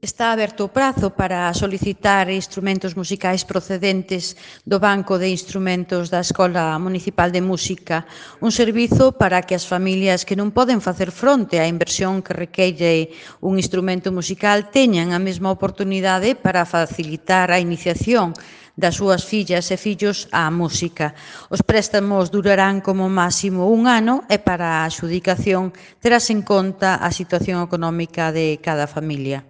Está aberto o prazo para solicitar instrumentos musicais procedentes do Banco de Instrumentos da Escola Municipal de Música, un servizo para que as familias que non poden facer fronte á inversión que requeire un instrumento musical teñan a mesma oportunidade para facilitar a iniciación das súas fillas e fillos á música. Os préstamos durarán como máximo un ano e para a adxudicación terás en conta a situación económica de cada familia.